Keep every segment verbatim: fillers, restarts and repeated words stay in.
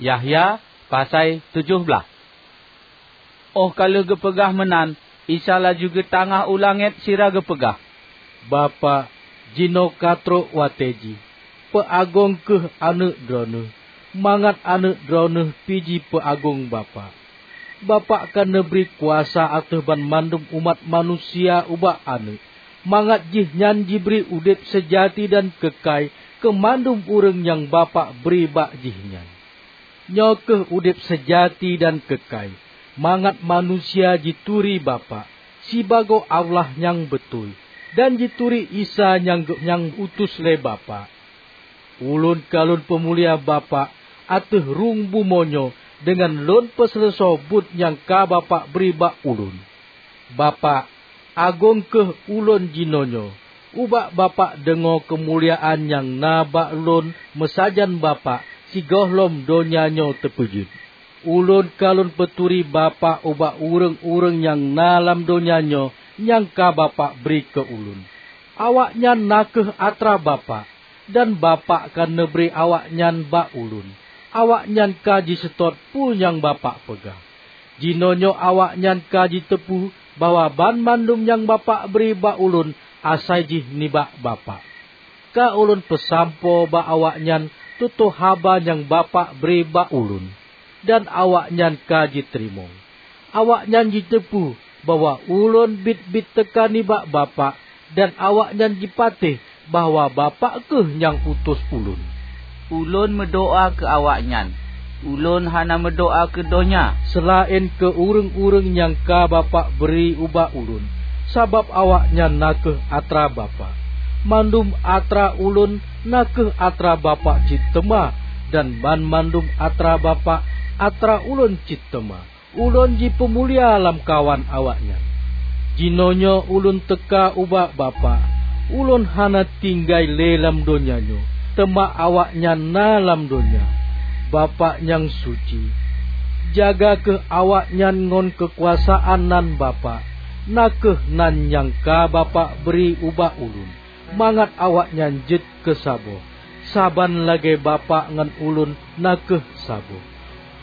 Yahya pasai tujoh blaih. Óh ka lheueh geupeugah meunan, Isa laju geutangah u langét sira geupeugah, "Bapak, jinoe ka trok watée jih. Peuagong kheueh Aneuëk Droeneueh, mangat Aneuëk Droeneueh pih jipeuagong Bapak. Bapak ka neubri kuasa ateueh banmandum umat manusia ubak Aneuëk, mangat jihnyan jibri udeb seujati dan keukai keu mandum ureuëng nyang Bapak bri bak jihnyan. Nyoe kheueh udeb seujati dan keukai, mangat manusia jituri Bapak, sibagoe Allah nyang beutôi, dan jituri Isa nyang geu-, nyang utus lé Bapak. Ulôn ka lôn peumulia Bapak ateueh rhueng bumoe nyoe deungon lôn peuseuleusoe buet nyang ka Bapak bri bak Ulôn. Bapak, agong kheueh Ulôn jinoenyoe, ubak Bapak deungoe keumuliaan nyang na bak Lôn meusajan Bapak sigohlom donya nyoe teupeujeuet. Ulôn ka Lôn peuturi Bapak ubak ureuëng-ureuëng nyang na lam donya nyoe nyang ka Bapak bri keu Ulôn. Awaknyan na kheueh atra Bapak, dan Bapak ka neubri awaknyan bak Ulôn. Awaknyan ka jiseutôt peue nyang Bapak peugah. Jinoenyoe awaknyan ka jiteupeu bahwa banmandum nyang Bapak bri bak Ulôn asai jih nibak Bapak. Ka Ulôn peusampoe bak awaknyan tutoe haba nyang Bapak bri bak Ulôn, dan awaknyan ka jiteurimong. Awaknyan jiteupeu bahwa Ulôn biet-biet teuka nibak Bapak, dan awaknyan jipatéh bahwa Bapak kheueh nyang utus Ulôn. Ulôn meudoá keu awaknyan. Ulôn hana meudoá keu donya, seulaén keu ureuëng-ureuëng nyang ka Bapak bri ubak Ulôn, sabab awaknyan na kheueh atra Bapak. Mandum atra Ulôn na kheueh atra Bapak cit teuma, dan banmandum atra Bapak atra Ulôn cit teuma. Ulôn jipeumulia lamkawan awaknyan. Jinoenyoe Ulôn teuka ubak Bapak. Ulôn hana tinggai lé lam donya nyoe, teuma awaknyan na lam donya. Bapak nyang suci, jaga kheueh awaknyan ngon keukuasaan nan Bapak, na kheueh nan nyang ka Bapak bri ubak Ulôn, mangat awaknyan jeuet keu saboh, saban lagée Bapak ngon Ulôn na kheueh saboh.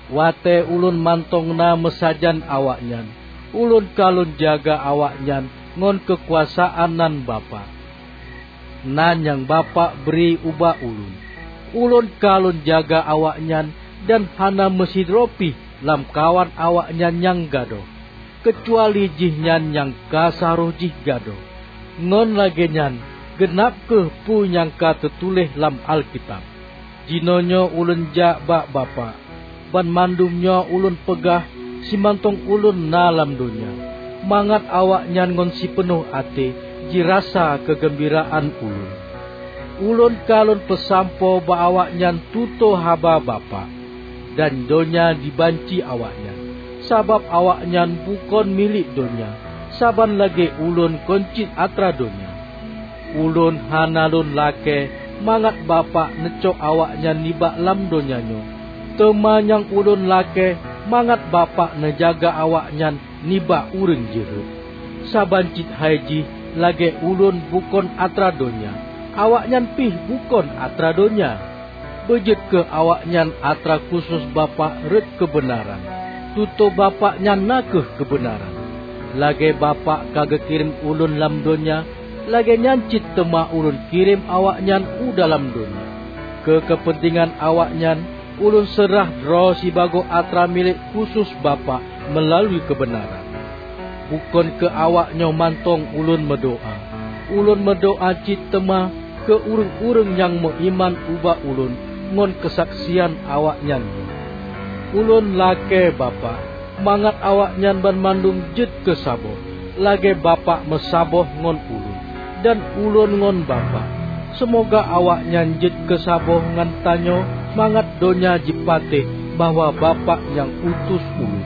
Watée Ulôn mantong na meusajan awaknyan, Ulôn ka Lôn jaga awaknyan ngon keukuasaan nan Bapak, nan nyang Bapak bri ubak Ulôn. Ulôn ka Lôn jaga awaknyan, dan hana meusidroe pih lamkawan awaknyan nyang gadôh, keucuali jihnyan nyang ka saroh jih gadôh. Ngon lagée nyan, geunab kheueh peue nyang ka teutuléh lam Alkitab, "Jinoenyoe Ulôn jak bak Bapak. Banmandum nyoe Ulôn peugah simantong Ulôn na lam donya, mangat awaknyan ngon sipeunoh até jirasa keugeumbiraan Ulôn." Ulôn ka Lôn peusampoe bak awaknyan tutoe haba Bapak, dan donya jibanci awaknyan, sabab awaknyan bukon milék donya, saban lagée Ulôn kon cit atra donya. Ulôn hana Lôn lakée mangat Bapak neucok awaknyan nibak lam donya nyoe, teuma nyang Ulôn lakée mangat Bapak neujaga awaknyan nibak ureuëng jeuhet. Saban cit hai jih lagée Ulôn bukon atra donya, awaknyan pih bukon atra donya. Beujeuet kheueh awaknyan atra khusos Bapak rot keubeunaran. Tutoe Bapak nyan na kheueh keubeunaran. Lagée Bapak ka geukirém Ulôn lam donya, lagée nyan cit teuma Ulôn kirém awaknyan u dalam donya. Keu keupeuntengan awaknyan, Ulôn seurah droe sibagoe atra milék khusos Bapak meulalu keubeunaran. Bukon keu awak nyoe mantong Ulôn meudoá. Ulôn meudoá cit teuma keu ureuëng-ureuëng nyang meuiman ubak Ulôn ngon keusaksian awaknyan nyoe. Ulôn lakée Bapak, mangat awaknyan banmandum jeuet keu saboh, lagée Bapak meusaboh ngon Ulôn, dan Ulôn ngon Bapak. Seumoga awaknyan jeuet keu saboh ngon tanyoe, mangat donya jipatéh bahwa Bapak nyang utus Ulôn.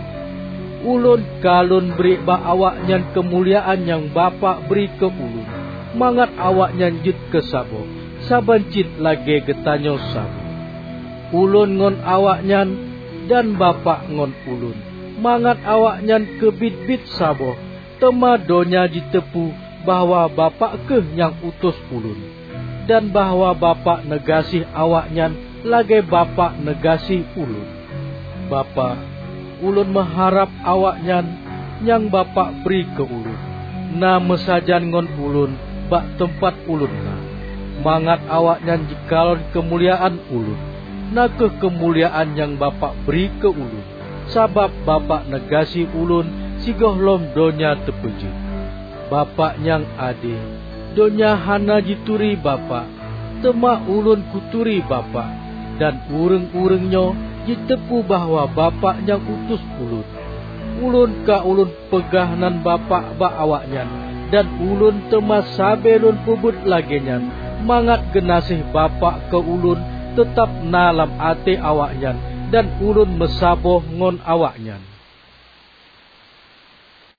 Ulôn ka Lôn bri bak awaknyan keumuliaan nyang Bapak bri keu Ulôn, mangat awaknyan jeuet keu saboh, saban cit lagée geutanyoe saboh. Ulôn ngon awaknyan, dan Bapak ngon Ulôn, mangat awaknyan keubiet-biet saboh, teuma donya jiteupeu bahwa Bapak kheueh nyang utus Ulôn, dan bahwa Bapak neugaséh awaknyan lagée Bapak neugaséh Ulôn. Bapak, ulôn meuharab awaknyan nyang Bapak bri keu ulôn, na meusajan ngon ulôn bak teumpat ulôn na, mangat awaknyan jikalon keumuliaan ulôn, na kheueh keumuliaan nyang Bapak bri keu ulôn, sabab Bapak neugaséh ulôn sigohlom donya teupeujeuet. Bapak nyang ade, donya hana jituri Bapak, teuma ulôn kuturi Bapak, dan ureuëng-ureuëng nyoe jiteupeu bahwa Bapak nyang utus ulôn. Ulôn ka ulôn peugah nan Bapak bak awaknyan, dan ulôn teuma sabe lôn peubuet lagée nyan, mangat geunaséh Bapak keu ulôn teutab na lam até awaknyan, dan ulôn meusaboh ngon awaknyan.